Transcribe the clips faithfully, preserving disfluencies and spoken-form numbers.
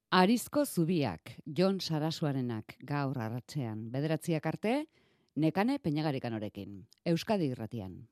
Arizko zubiak, Jon Sarasuarenak, gaur arratsean. Bederatziak arte, Nekane Peñagarikanorekin. Euskadi Irratian.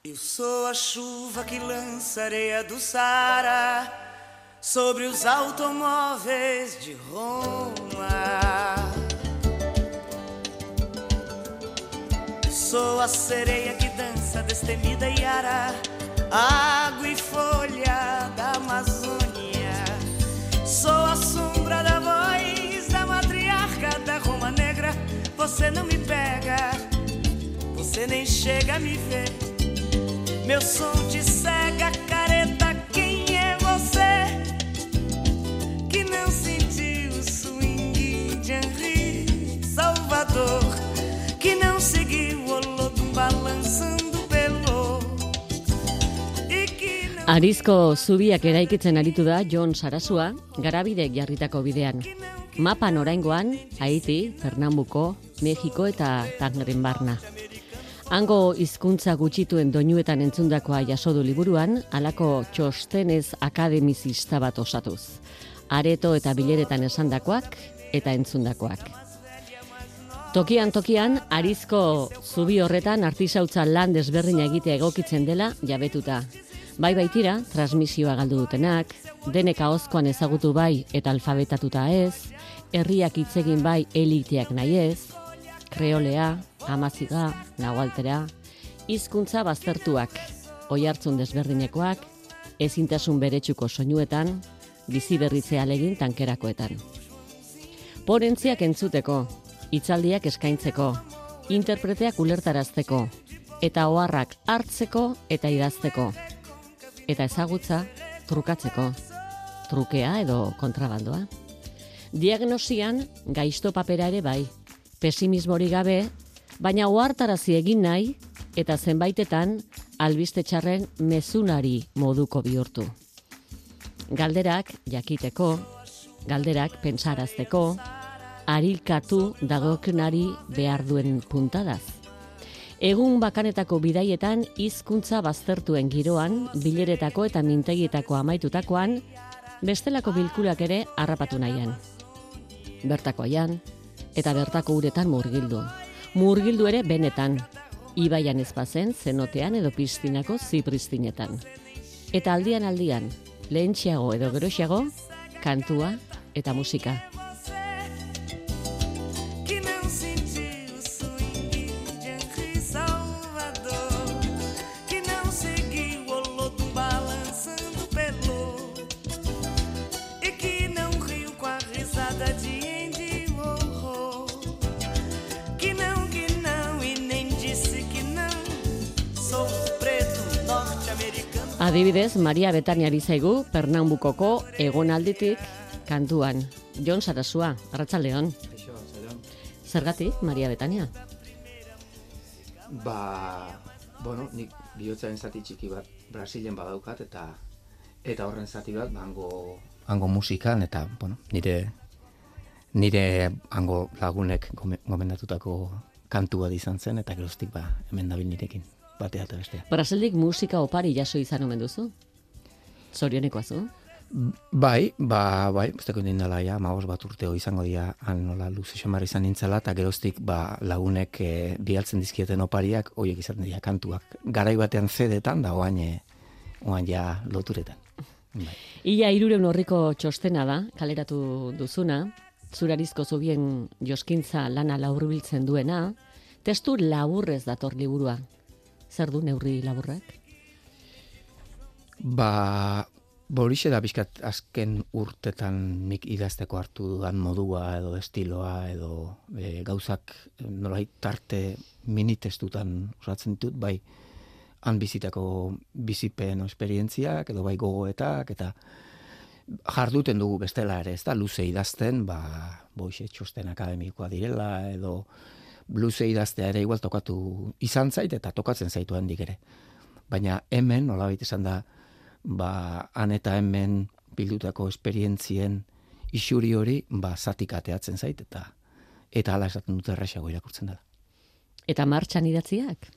Eu sou a chuva que lança areia do Saara sobre os automóveis de Roma. Eu sou a sereia que dança destemida e ara, água e folha da Amazônia. Sou a sombra da voz da matriarca da Roma Negra. Você não me pega, você nem chega a me ver. Meu som te cega, careta, quem é você? Que não sentiu o swing de Henri Salvador, que não seguiu o Olodum balançando pelo e que não... Arizko zubiak eraikitzen aritu da Jon Sarasua, garabidek jarritako bidean. Mapan oraingoan, Haiti, Pernambuko, Mexiko eta Tangeren barna. Hango hizkuntza gutxituen doinuetan entzundakoa jasodu liburuan, halako txostenez akademizista bat osatuz. Areto eta bileretan esandakoak eta entzundakoak. Tokian tokian, Arizko zubi horretan artisautza lan desberdina egitea egokitzen dela jabetuta. Bai baitira, transmisioa galdu dutenak, denek ahozkoan ezagutu bai eta alfabetatuta ez, herriak hitzegin bai eliteak nahi ez, kreolea, amaziga, nahualtera, hizkuntza baztertuak, oihartzun desberdinekoak, ezintasun beretsuko soinuetan, bizi berritzea alegin tankerakoetan. Ponentziak entzuteko, hitzaldiak eskaintzeko, interpreteak ulertarazteko, eta oharrak hartzeko eta idazteko, eta ezagutza trukatzeko, trukea edo kontrabandoa. Diagnosian gaizto papera ere bai, pesimismori gabe, baina ohartarazi egin nahi eta zenbaitetan albiste txarren mezunari moduko bihurtu. Galderak jakiteko, galderak pentsarazteko, arilkatu dagokionari behar duen puntadaz. Egun bakanetako bidaietan hizkuntza baztertuen giroan, bileretako eta mintegietako amaitutakoan, bestelako bilkulak ere harrapatu nahian. Bertako aian, eta bertako uretan murgildu. Murgildu ere benetan, ibaian ezpazen, zenotean edo piztinako zipristinetan. Eta aldian aldian, lehentxeago edo geroxeago, kantua eta musika. Adibidez, Maria Betania bizaigu Pernambukoko egonalditik kantuan. Jon Sarasua, arratsaldeon. Zergatik, Maria Betania? Ba, bueno, nik bihotzaren zati txiki bat Brasilen badaukat eta eta horren zati bat hango hango musikan eta, bueno, nire nire hango lagunek gomendatutako kantua izan zen eta geroztik ba hemen dabil nirekin. Batea eta bestea. Brasildik musika opari jaso izan omen duzu? Zorionekoa zu? Bai, ba, bai, busteko indala ja, maoz bat urteo izango dira, han nola luze xamar izan nintzala, eta geroztik ba, lagunek e, bialtzen dizkieten opariak, horiek izaten dira kantuak. Garai batean zedetan, da oain, e, oain ja loturetan. Bai. Ia hirureun horriko txostena da, kaleratu duzuna, Zurarizko zubien joskintza lana laburbiltzen duena, testu laburrez dator liburua. Zer du neurri laburrak? Ba, borixe da bizkat azken urtetan nik idazteko hartu dudan modua edo estiloa edo e, gauzak nolait tarte minitestutan osatzen ditut, bai han bizitako bizipen esperientziak edo bai gogoetak eta jarduten dugu bestela ere, ez da, luze idazten, ba, boixe txosten akademikoa direla, edo luze idaztea ere igual tokatu izan zait, eta tokatzen zaitu handik ere. Baina hemen, nolabait esan da, ba, han eta hemen bildutako esperientzien isuri hori, ba, zatik ateatzen zait, eta eta hala esaten dute erraxago irakurtzen dela. Eta martxan idatziak?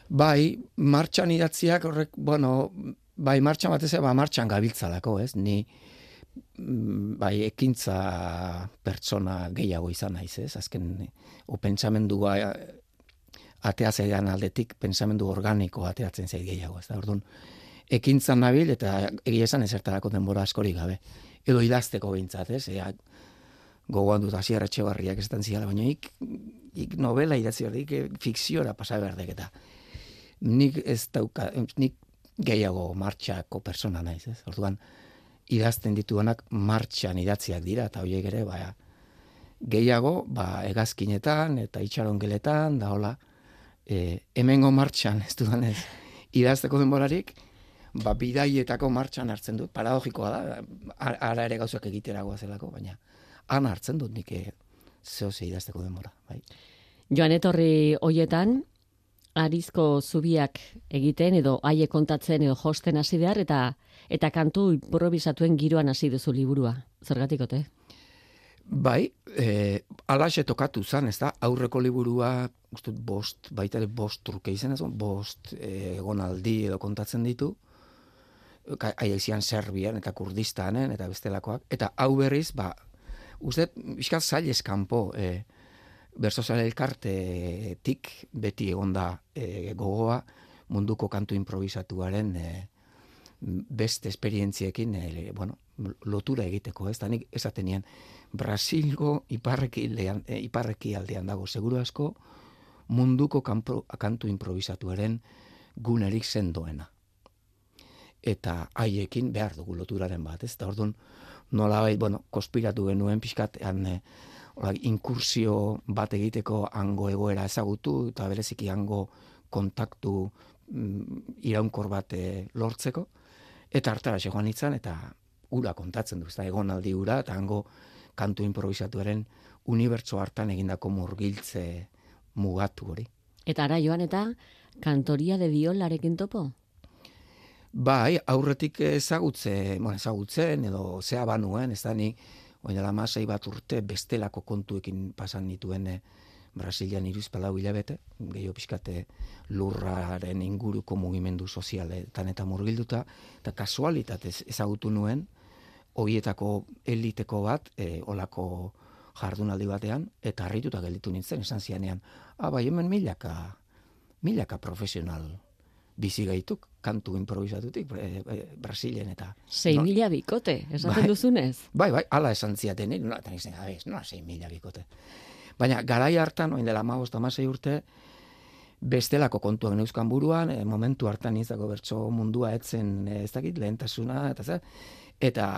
Bai, martxan idatziak horrek, bueno, bai, martxan batez, ba, martxan gabiltzalako, ez? Ni, bai, ekintza pertsona gehiago izan naiz, ez? Azken, o pentsamendua ateatzen aldetik, pentsamendu organiko ateatzen zait gehiago, ez da? Orduan, ekintzan nabil, eta egia esan ezertarako denbora askorik gabe. Edo idazteko behintzat, ez? Ea, gogoan dut Asier Etxebarriak esaten ziala, baina ik, ik novela idatzi behar, ik fikziora pasa behar eta nik ez dauka, nik gehiago martxako persona naiz, ez? Orduan, idazten dituanak martxan idatziak dira, eta horiek ere, ba, gehiago, ba, hegazkinetan eta itxarongeletan, da hola, e, hemengo martxan, ez dudan ez, idazteko denborarik, ba, bidaietako martxan hartzen dut, paradogikoa da, ara ere gauzak egiteragoa zelako, baina han hartzen dut nik zehose idazteko denbora, bai. Joan etorri hoietan, Arizko zubiak egiten edo haie kontatzen edo josten hasi behar eta eta kantu improvisatuen giroan hasi duzu liburua. Zergatik ote? Bai, eh, alaxe tokatu zan, ez da, aurreko liburua, ustut bost, baita ere bost truke izan ez, bost eh, egonaldi edo kontatzen ditu, haiek zian Serbian eta Kurdistanen eta bestelakoak, eta hau berriz, ba, uste, bizkat zail eskampo, eh, Bersozale elkartetik beti egonda e, gogoa munduko kantu improvisatuaren e, beste esperientziekin e, bueno, lotura egiteko, ez da nik esaten nien Brasilgo iparreki, lean, e, iparreki aldean dago seguru asko munduko kanpo, kantu improvisatuaren gunerik sendoena. Eta haiekin behar dugu loturaren bat, ez da orduan nolabait, bueno, konspiratu genuen pixkatean e, inkursio bat egiteko hango egoera ezagutu eta bereziki hango kontaktu mm, iraunkor bat e, lortzeko eta hartara joan nintzen eta ura kontatzen du, ez da egonaldi ura eta hango kantu improvisatuaren unibertso hartan egindako murgiltze mugatu hori. Eta ara joan eta kantoria de violarekin topo? Bai, aurretik ezagutze, bueno, ezagutzen edo zea banuen, ez da ni oin dela masai bat urte bestelako kontuekin pasan nituen e, Brasilian irizpalau hilabete, gehiago pixkate lurraren inguruko mugimendu sozialetan eta murgilduta, eta kasualitatez ezagutu nuen, horietako eliteko bat, e, olako jardunaldi batean, eta harrituta gelditu nintzen, esan zianean, ah, bai, hemen milaka, milaka profesional bizi gaituk, kantu improvisatutik, e, e, Brasilien eta... Sei no? mila bikote, esaten bai, duzunez? Bai, bai, ala esan ziaten, no, eta nizten, no, sei mila bikote. Baina, garai hartan, oin dela hamabost hamasei urte, bestelako kontuak neuzkan buruan, e, momentu hartan izako bertso mundua etzen, e, ez dakit, lehentasuna, eta zer, eta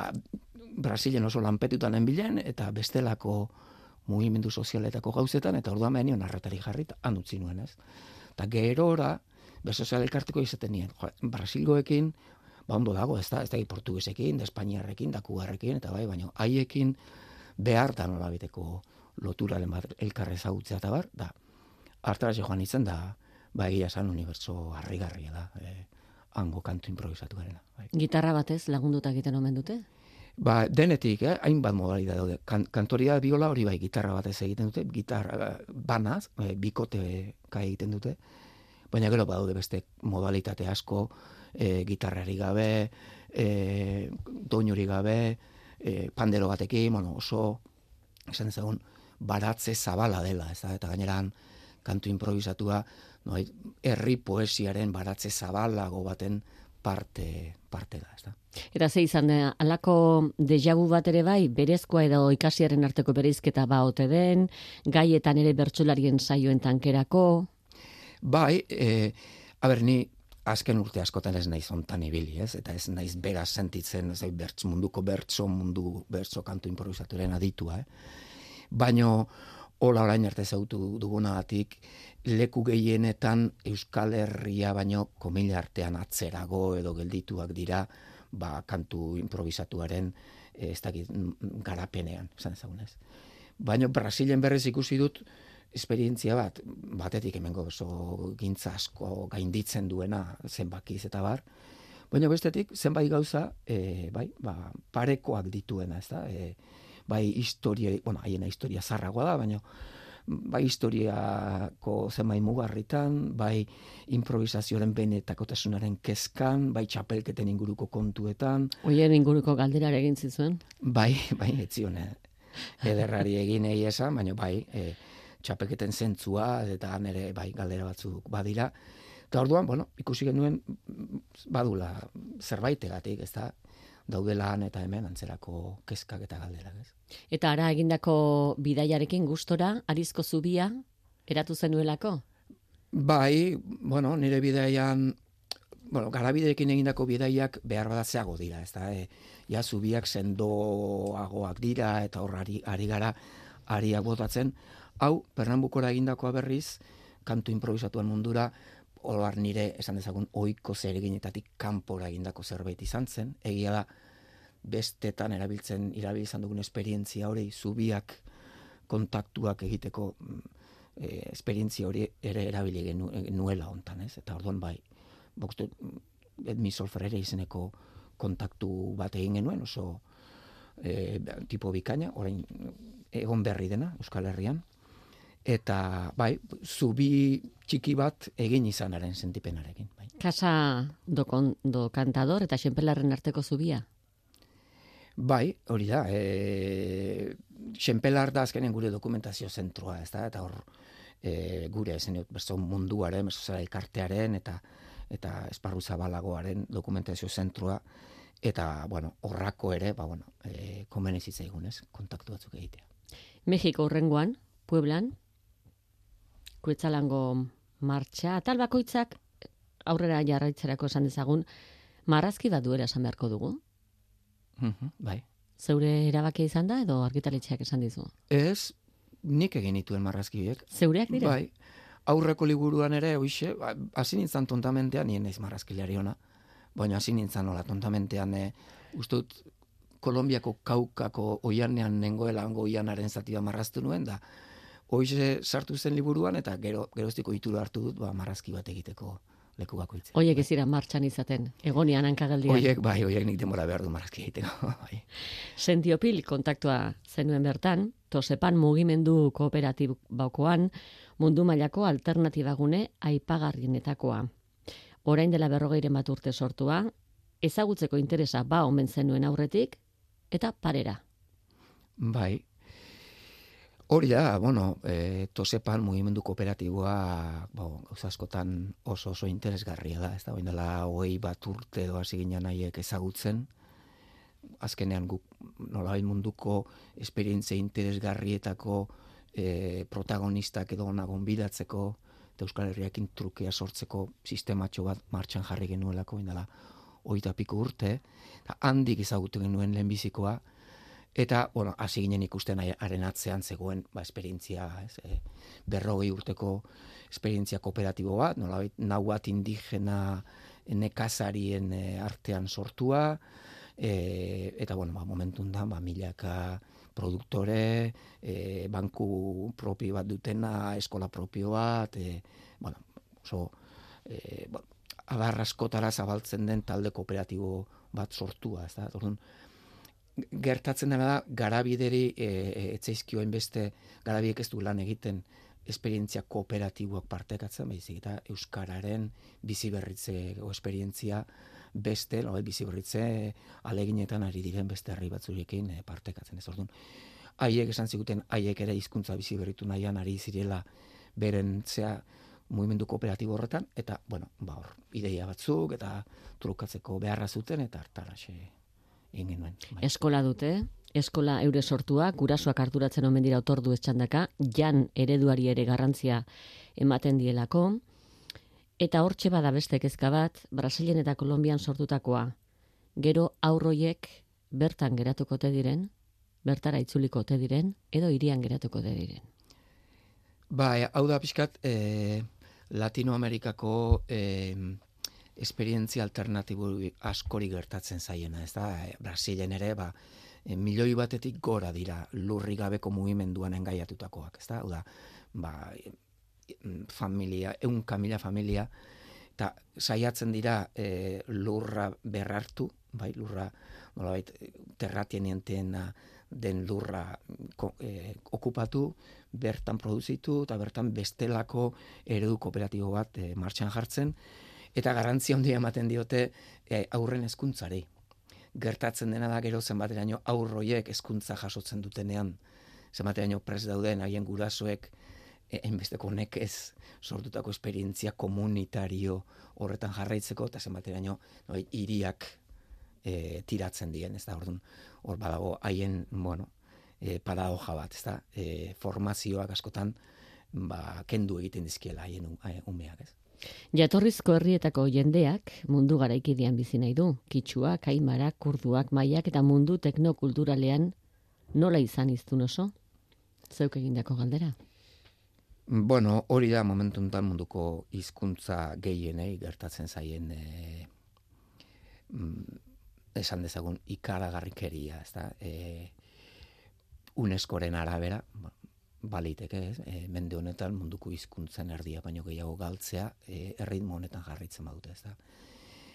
Brasilien oso lanpetutan enbilen, eta bestelako mugimendu sozialetako gauzetan, eta orduan behar nion arretari jarrit, handutzi nuen, ez? Eta gerora, Besozial elkarteko izaten nien. Jo, Brasilgoekin, ba ondo dago, ez da, ez da, portuguesekin, da espainiarrekin, da kugarrekin, eta bai, baina haiekin behar da nolabiteko loturaren bat elkarre ezagutzea eta bar, da, hartara joan izan da, ba egia esan unibertso harrigarria da, e, hango kantu improvisatu garena. Bai. Gitarra batez lagunduta egiten omen dute? Ba, denetik, eh, hainbat modalidad daude. Kan, kantoria biola hori bai gitarra batez egiten dute, gitarra banaz, e, bikote ka egiten dute, baina gero badaude beste modalitate asko, e, gitarrari gabe, e, doinuri gabe, e, pandero batekin, bueno, oso, esan ezagun, baratze zabala dela, ez da, eta gaineran kantu improvisatua, no, herri poesiaren baratze zabalago baten parte, parte da, ez da. Eta ze izan, alako dejavu bat ere bai, berezkoa edo ikasiaren arteko bereizketa ba ote den, gaietan ere bertsolarien saioen tankerako? Bai, e, aber, ni azken urte askotan ez naiz ontan ibili, ez? Eta ez naiz beraz sentitzen, ez bertz, munduko bertso, mundu bertso kantu improvisaturen aditua, eh? Baino, hola orain arte zautu dugunagatik, leku gehienetan Euskal Herria baino komila artean atzerago edo geldituak dira, ba, kantu improvisatuaren ez dakit garapenean, esan ezagunez. Baina Brasilen berrez ikusi dut esperientzia bat, batetik hemengo oso gintza asko gainditzen duena zenbakiz eta bar, baina bestetik zenbait gauza, e, bai, ba, parekoak dituena, ez da, e, bai historia, bueno, haiena historia zarragoa da, baina bai historiako zenbait mugarritan, bai improvisazioaren benetakotasunaren kezkan, bai txapelketen inguruko kontuetan. Oien inguruko galderare egin zizuen? Bai, bai, etzion, ederrari egin egi esan, baina bai, e, txapelketen zentzua, eta nire bai galdera batzuk badira. Eta orduan, bueno, ikusi genuen badula zerbaitegatik, ez da, daudelan eta hemen antzerako kezkak eta galderak, ez. Eta ara egindako bidaiarekin gustora, Arizko zubia, eratu zenuelako? Bai, bueno, nire bidaian, bueno, garabideekin egindako bidaiak behar badatzeago dira, ez da, e, ja, zubiak sendoagoak dira, eta horrari ari gara, ariak botatzen. Hau, Pernambucora egindakoa berriz, kantu improvisatuan mundura, oroar nire, esan dezagun, ohiko zereginetatik kanpora egindako zerbait izan zen, egia da, bestetan erabiltzen, irabil izan dugun esperientzia hori, zubiak kontaktuak egiteko e, esperientzia hori ere erabili genu, nuela hontan, ez? Eta orduan bai, bokstu, Edmi Solferere izeneko kontaktu bat egin genuen, oso e, tipo bikaina, orain egon berri dena, Euskal Herrian, eta bai, zubi txiki bat egin izanaren sentipenarekin. Bai. Casa do, kon, do Cantador eta Xenpelarren arteko zubia? Bai, hori da. E, Xenpelar da azkenen gure dokumentazio zentroa, ez da? Eta hor e, gure zen berzo munduaren, berzo elkartearen eta eta esparru zabalagoaren dokumentazio zentroa, eta, bueno, horrako ere, ba, bueno, e, komenez itzaigun, ez? Kontaktu batzuk egitea. Mexiko urrengoan, Pueblan, Kuetzalango martxa, atal bakoitzak aurrera jarraitzerako esan dezagun, marrazki bat duela esan beharko dugu? Mm-hmm, bai. Zeure erabakia izan da edo argitaletxeak esan dizu? Ez, nik egin dituen marrazkiek. Zeureak dira? Bai. Aurreko liburuan ere, hoixe, hasi nintzen tontamentean, nien naiz marrazkilari ona, baina hasi nintzen nola tontamentean, e, ustut, Kolombiako kaukako oianean nengoela hango oianaren zati bat marraztu nuen, da hoize sartu zen liburuan, eta gero, geroztiko itura hartu dut, ba, marrazki bat egiteko leku bakoitzen. Oiek ez dira martxan izaten, egonian hankagaldian. Oiek, bai, oiek nik denbora behar du marrazki egiteko. Bai. Sentiopil kontaktua zenuen bertan, Tosepan mugimendu kooperatibokoan mundu mailako alternatibagune aipagarrienetakoa. Orain dela berrogeiren bat urte sortua, ezagutzeko interesa ba omen zenuen aurretik, eta parera. Bai. Hori da, bueno, e, Tosepan mugimendu kooperatiboa, bo, gauza askotan oso oso interesgarria da, ez da, orain dela hogei bat urte edo hasi ginen haiek ezagutzen, azkenean guk nolabait munduko esperientzia interesgarrietako e, protagonistak edo ona gonbidatzeko eta Euskal Herriakin trukea sortzeko sistematxo bat martxan jarri genuelako, indala hogeita piko urte, eta handik ezagutu genuen lehenbizikoa, eta, bueno, hasi ginen ikusten haren atzean zegoen, ba, esperientzia, ez, e, berrogei urteko esperientzia kooperatibo bat, nolabait nau bat indigena nekazarien e, artean sortua, e, eta, bueno, ba, momentun da, ba, milaka produktore, e, banku propio bat dutena, eskola propio bat, e, bueno, oso, e, ba, adar askotara zabaltzen den talde kooperatibo bat sortua, ez da, orduan, gertatzen dena da, garabideri e, e, etzaizkioen beste, garabiek ez du lan egiten esperientzia kooperatiboak partekatzen, baizik eta euskararen biziberritze esperientzia beste, no, biziberritze aleginetan ari diren beste herri batzurekin e, partekatzen. Ez orduan, haiek esan ziguten, haiek ere hizkuntza biziberritu nahian ari zirela beren zea mugimendu kooperatibo horretan, eta, bueno, ba, hor, ideia batzuk, eta trukatzeko beharra zuten, eta hartaraxe egin genuen. Bai. Eskola dute, eskola eure sortua, gurasoak arduratzen omen dira otordu etxandaka, jan ereduari ere garrantzia ematen dielako, eta hortxe bada beste kezka bat, Brasilen eta Kolonbian sortutakoa. Gero aurroiek bertan geratuko te diren, bertara itzuliko te diren, edo hirian geratuko te diren. Ba, hau da pixkat, e, Latinoamerikako e, esperientzia alternatibo askori gertatzen zaiena, ez da, Brasilen ere, ba, e, milioi batetik gora dira lurri gabeko mugimenduan engaiatutakoak, ez da, hau da, ba, familia, ehunka mila familia, eta saiatzen dira e, lurra berrartu, bai, lurra, nolabait, terratienientena den lurra e, okupatu, bertan produzitu, eta bertan bestelako eredu kooperatibo bat e, martxan jartzen, eta garrantzia handia ematen diote e, aurren hezkuntzari. Gertatzen dena da gero zenbateraino aurroiek hezkuntza jasotzen dutenean, zenbateraino prest dauden haien gurasoek hainbesteko nekez sortutako esperientzia komunitario horretan jarraitzeko, eta zenbateraino no, hiriak e, tiratzen dien, ez da, orduan, hor badago haien, bueno, e, paradoja bat, ez da, e, formazioak askotan, ba, kendu egiten dizkiela haien umeak, ez. Jatorrizko herrietako jendeak mundu garaikidean bizi nahi du. Kitxuak, aimarak, kurduak, maiak eta mundu teknokulturalean nola izan iztun oso? Zeuk egindako galdera? Bueno, hori da momentu enten munduko hizkuntza gehienei gertatzen zaien e, esan dezagun ikaragarrikeria, ez da, e, UNESCOren arabera, baliteke, ez, e, mende honetan munduko hizkuntzen erdia baino gehiago galtzea e, erritmo honetan jarraitzen badute, ez da.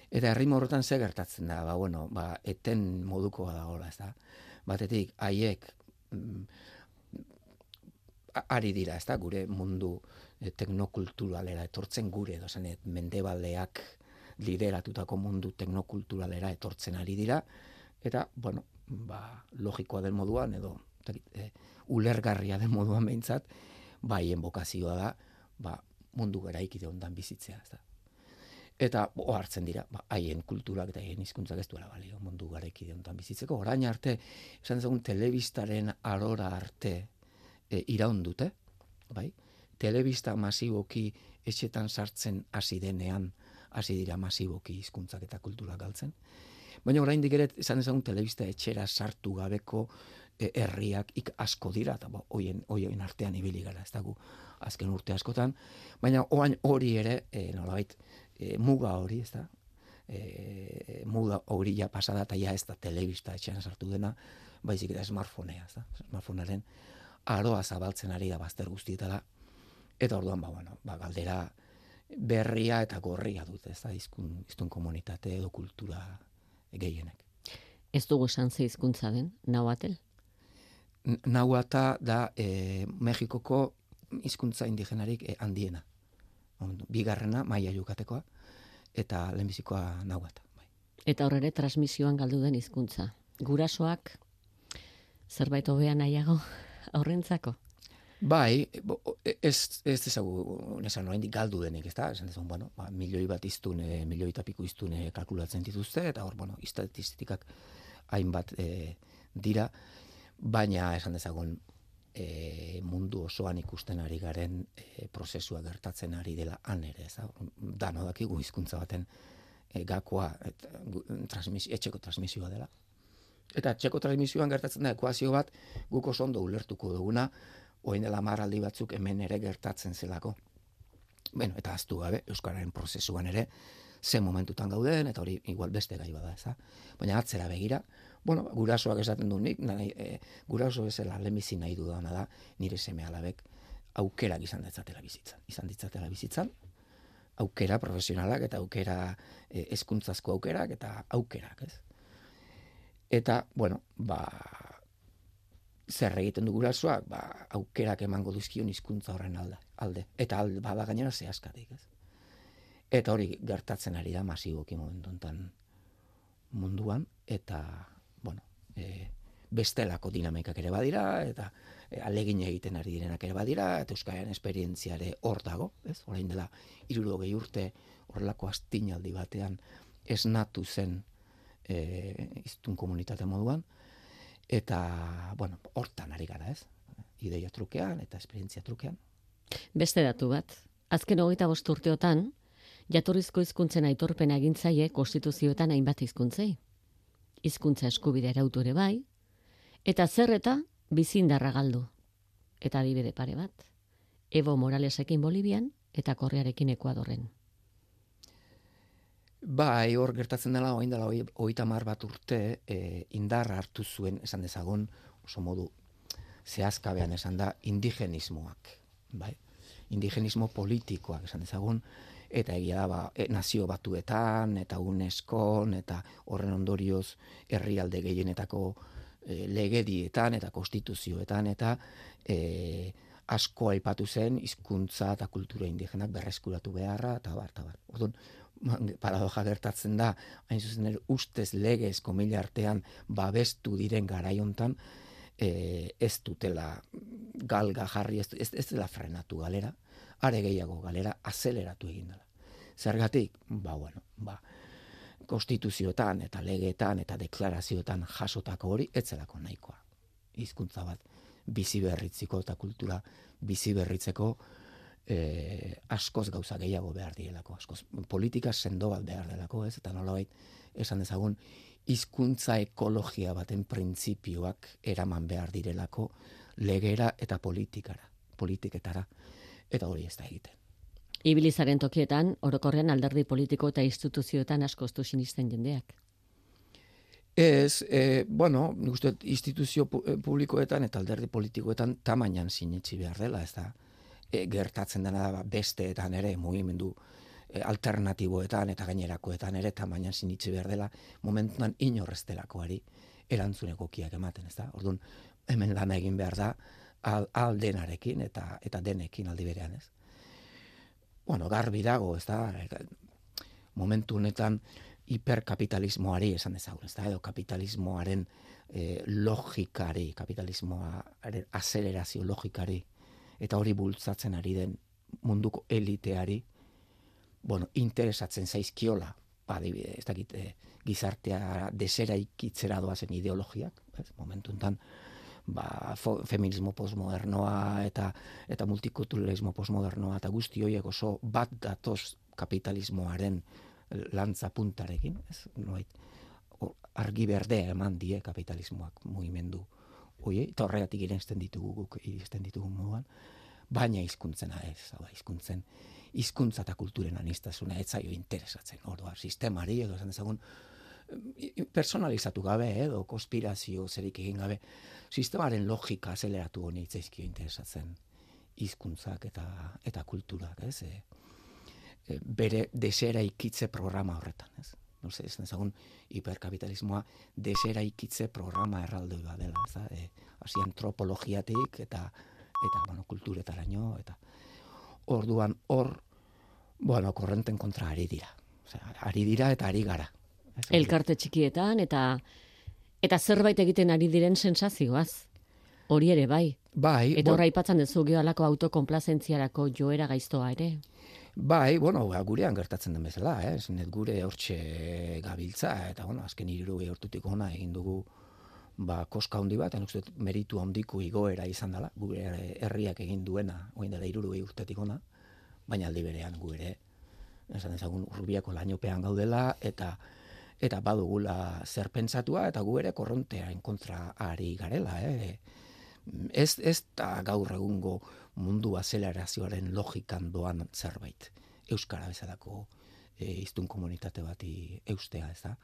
Eta erritmo horretan ze gertatzen da, ba, bueno, ba, eten moduko dagoela, ez da. Batetik, haiek ari dira, ez da, gure mundu e, teknokulturalera etortzen gure, edo zanet, mendebaldeak lideratutako mundu teknokulturalera etortzen ari dira, eta, bueno, ba, logikoa den moduan, edo e, ulergarria den moduan behintzat, ba, haien bokazioa da, ba, mundu garaikide hondan bizitzea, ez da. Eta ohartzen dira, ba, haien kulturak eta haien hizkuntzak ez duela balio mundu garaikide hondan bizitzeko. Orain arte, esan dezagun, telebistaren arora arte, E, iraun dute, bai? Telebista masiboki etxetan sartzen hasi denean, hasi dira masiboki hizkuntzak eta kultura galtzen. Baina oraindik ere esan dezagun telebista etxera sartu gabeko e, herriak ik asko dira, eta hoien hoien artean ibili gara, ez dago azken urte askotan, baina orain hori ere, e, nolabait, e, muga hori, ez da? E, muga hori ja pasada eta ja ez da telebista etxean sartu dena, baizik eta smartphonea, ez da? Smartphonearen aroa zabaltzen ari da bazter guztietara, eta orduan, ba, bueno, ba, galdera berria eta gorria dute, ez da, izkun, iztun komunitate edo kultura gehienek. Ez dugu esan ze hizkuntza den, nahuatel? Nahuata da e, Mexikoko hizkuntza indigenarik e, handiena. Bigarrena, maia yukatekoa, eta lehenbizikoa nahuata. Bai. Eta horre transmisioan galdu den hizkuntza. Gurasoak zerbait hobea nahiago aurrentzako? Bai, ez ez ezagu nesan oraindik galdu denik, ezta? Esan dezagun, bueno, ba, milioi bat iztun, e, milioi eta piku iztun e, kalkulatzen dituzte, eta hor, bueno, estatistikak hainbat e, dira, baina esan dezagun e, mundu osoan ikusten ari garen e, prozesua gertatzen ari dela han ere, ez da? Dano dakigu hizkuntza baten e, gakoa et, transmisio, etxeko transmisioa dela. Eta etxeko transmisioan gertatzen da ekuazio bat guk oso ondo ulertuko duguna, orain dela hamar aldi batzuk hemen ere gertatzen zelako. Bueno, eta ahaztu gabe euskararen prozesuan ere ze momentutan gauden, eta hori igual beste gai bada, ez da? Baina atzera begira, bueno, gurasoak esaten du nik, nahi, e, guraso bezala lehenbizi nahi dudana da, nire seme alabek aukerak izan ditzatela bizitzan. Izan ditzatela bizitzan, aukera profesionalak eta aukera e, hezkuntzazko aukerak eta aukerak, ez? Eta, bueno, ba, zer egiten du gurasoak, ba, aukerak emango duzkion hizkuntza horren alde, alde. Eta alde, bada gainera zehazkatik, ez? Eta hori gertatzen ari da masiboki momentu honetan munduan, eta, bueno, e, bestelako dinamikak ere badira, eta e, alegin egiten ari direnak ere badira, eta euskararen esperientziare hor dago, ez? Orain dela hirurogei urte horrelako astinaldi batean esnatu zen e, hiztun komunitate moduan, eta, bueno, hortan ari gara, ez? Ideia trukean eta esperientzia trukean. Beste datu bat, azken hogeita bost urteotan, jatorrizko hizkuntzen aitorpena egin zaie konstituzioetan hainbat hizkuntzei. Hizkuntza eskubidea arautu ere bai, eta zer eta bizindarra galdu. Eta adibide pare bat, Evo Moralesekin Bolivian eta Korrearekin Ekuadorren. Bai, hor gertatzen dela, orain dela hogeita hamar bat urte e, indarra hartu zuen, esan dezagun, oso modu zehazkabean esan da, indigenismoak. Bai? Indigenismo politikoak esan dezagun, eta egia da, ba, e, nazio batuetan, eta UNESCOn, eta horren ondorioz herrialde gehienetako e, legedietan, eta konstituzioetan, eta e, asko aipatu zen hizkuntza eta kultura indigenak berreskuratu beharra, eta bar, eta bar. Orduan, paradoja gertatzen da, hain zuzen ere, ustez legez komila artean babestu diren garaiontan, e, ez dutela galga jarri, ez, ez, ez dela frenatu galera, are gehiago galera azeleratu egin dela. Zergatik, ba, bueno, ba, konstituzioetan eta legeetan eta deklarazioetan jasotako hori, etzelako nahikoa. Hizkuntza bat bizi berritzeko eta kultura bizi berritzeko eh, askoz gauza gehiago behar direlako, askoz politika sendo bat behar delako, ez? Eta nolabait esan dezagun hizkuntza ekologia baten printzipioak eraman behar direlako legera eta politikara, politiketara, eta hori ez da egiten. Ibilizaren tokietan, orokorrean alderdi politiko eta instituzioetan askostu sinisten jendeak. Ez, e, bueno, nik uste instituzio publikoetan eta alderdi politikoetan tamainan sinetsi behar dela, ez da. E, gertatzen dena da besteetan ere, mugimendu e, alternatiboetan eta gainerakoetan ere tamainan sinetsi behar dela, momentuan inorrez delakoari erantzun egokiak ematen, ez da. Orduan, hemen lana egin behar da, al, al denarekin eta, eta denekin aldi berean, ez. Bueno, garbi dago, ez da, momentu honetan, hiperkapitalismoari esan dezagun, ez da, edo kapitalismoaren e, logikari, kapitalismoaren azelerazio logikari, eta hori bultzatzen ari den munduko eliteari, bueno, interesatzen zaizkiola, badibide, ez dakit, e, gizartea desera ikitzera doazen ideologiak, ez, momentu enten, ba, fo, feminismo postmodernoa eta eta multikulturalismo postmodernoa eta guzti horiek oso bat datoz kapitalismoaren lantza puntarekin, ez? Noait, argi berdea eman die kapitalismoak mugimendu hori, eta horregatik irenzten ditugu guk irenzten ditugu moduan, baina hizkuntzena ez, hau hizkuntzen hizkuntza eta kulturen aniztasuna ez zaio interesatzen, orduan sistemari edo esan dezagun personalizatu gabe edo konspirazio zerik egin gabe, sistemaren logika azeleratu honi itzaizkio interesatzen hizkuntzak eta eta kulturak, ez? E, e, bere desera ikitze programa horretan, ez? No sé, ez ezagun hiperkapitalismoa desera ikitze programa erraldoi bat dela, ez da? E, hasi antropologiatik eta eta bueno, kulturetaraino eta orduan hor bueno, korrenten kontra ari dira. Osea, ari dira eta ari gara. Elkarte txikietan eta eta zerbait egiten ari diren sensazioaz. Hori ere bai. Bai. Eta horra aipatzen duzu gehalako autokonplazentziarako joera gaiztoa ere. Bai, bueno, gurean gertatzen den bezala, eh? Zinet gure hortxe gabiltza, eta bueno, azken hirurogei urtetik hona egin dugu ba, koska handi bat, uste meritu handiko igoera izan dela, gure herriak egin duena, orain dela hirurogei urtetik hona, baina aldi berean gu ere, esan ezagun Urbiako lainopean gaudela, eta eta badugula zer pentsatua, eta gu ere korrontearen kontra ari garela. Eh? Ez, ez da gaur egungo mundu azelerazioaren logikan doan zerbait. Euskara bezalako e, hiztun komunitate bati eustea, ez da.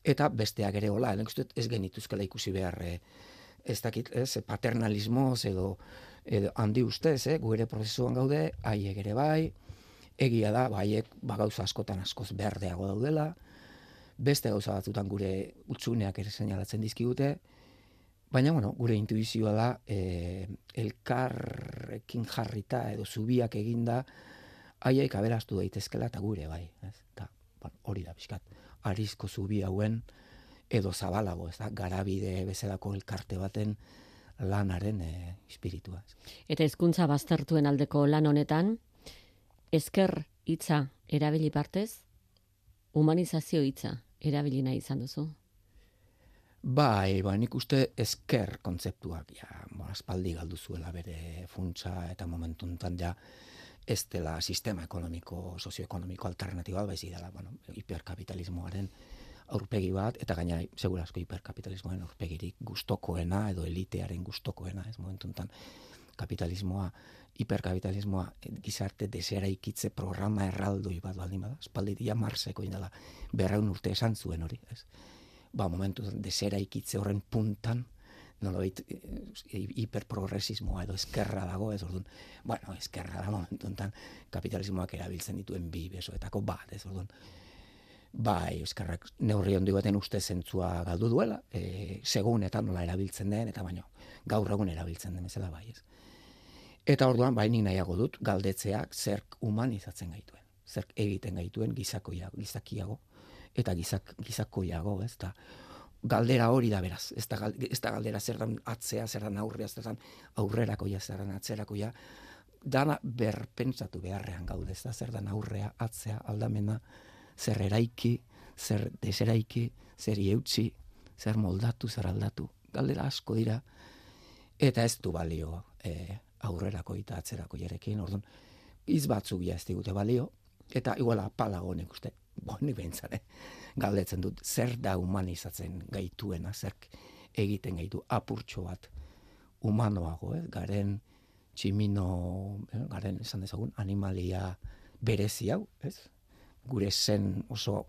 Eta besteak ere hola, ez genituzkela ikusi behar, ez dakit, ez, paternalismoz edo, edo handi ustez, eh? Gu ere prozesuan gaude, haiek ere bai, egia da, haiek ba, gauza askotan askoz berdeago daudela, beste gauza batzutan gure utzuneak ere seinalatzen dizkigute, baina bueno, gure intuizioa da e, elkarrekin jarrita edo zubiak eginda haiek aberastu daitezkela eta gure bai, ez? Ta, bueno, hori da pixkat, arizko zubi hauen edo zabalago, ez da, Garabide bezalako elkarte baten lanaren e, espiritua. Eta hizkuntza baztertuen aldeko lan honetan, ezker hitza erabili partez, humanizazio hitza erabili nahi izan duzu. Bai, ba, nik uste ezker kontzeptuak, ja, bo, aspaldi galdu zuela bere funtsa eta momentu honetan ja ez dela sistema ekonomiko, sozioekonomiko alternatiba, baizik dela, bueno, hiperkapitalismoaren aurpegi bat, eta gaina segurazko hiperkapitalismoaren aurpegirik gustokoena edo elitearen gustokoena, ez momentu honetan kapitalismoa, hiperkapitalismoa gizarte deseraikitze programa erraldoi bat baldin bada, espaldi dia Marseko indala berreun urte esan zuen hori, ez? Ba, momentu deseraikitze horren puntan, nolabait hiperprogresismoa edo eskerra dago, ez orduan, bueno, eskerra da momentu honetan kapitalismoak erabiltzen dituen bi besoetako bat, ez orduan, bai, eskerrak neurri handi baten uste zentzua galdu duela, e, segun eta nola erabiltzen den, eta baino, gaur egun erabiltzen den bezala bai, ez. Eta orduan, bai, nik nahiago dut, galdetzeak zerk humanizatzen gaituen, zerk egiten gaituen gizakoiago, gizakiago, eta gizak, gizakoiago, ez da, galdera hori da beraz, ez da, ez da galdera zer dan atzea, zer dan aurrea, zer dan aurrerakoia, zer dan atzerakoia, dana berpentsatu beharrean gaude, ez da, zer dan aurrea, atzea, aldamena, zer eraiki, zer deseraiki, zer eutsi, zer moldatu, zer aldatu. Galdera asko dira, eta ez du balio e, aurrerako eta atzerako jarekin, orduan, iz batzuk ja ez digute balio, eta iguala apalago nik uste, boni behintzare, galdetzen dut, zer da humanizatzen gaituena, zer egiten gaitu apurtxo bat humanoago, eh? Garen tximino, eh? Garen esan dezagun, animalia berezi hau, ez? Gure zen oso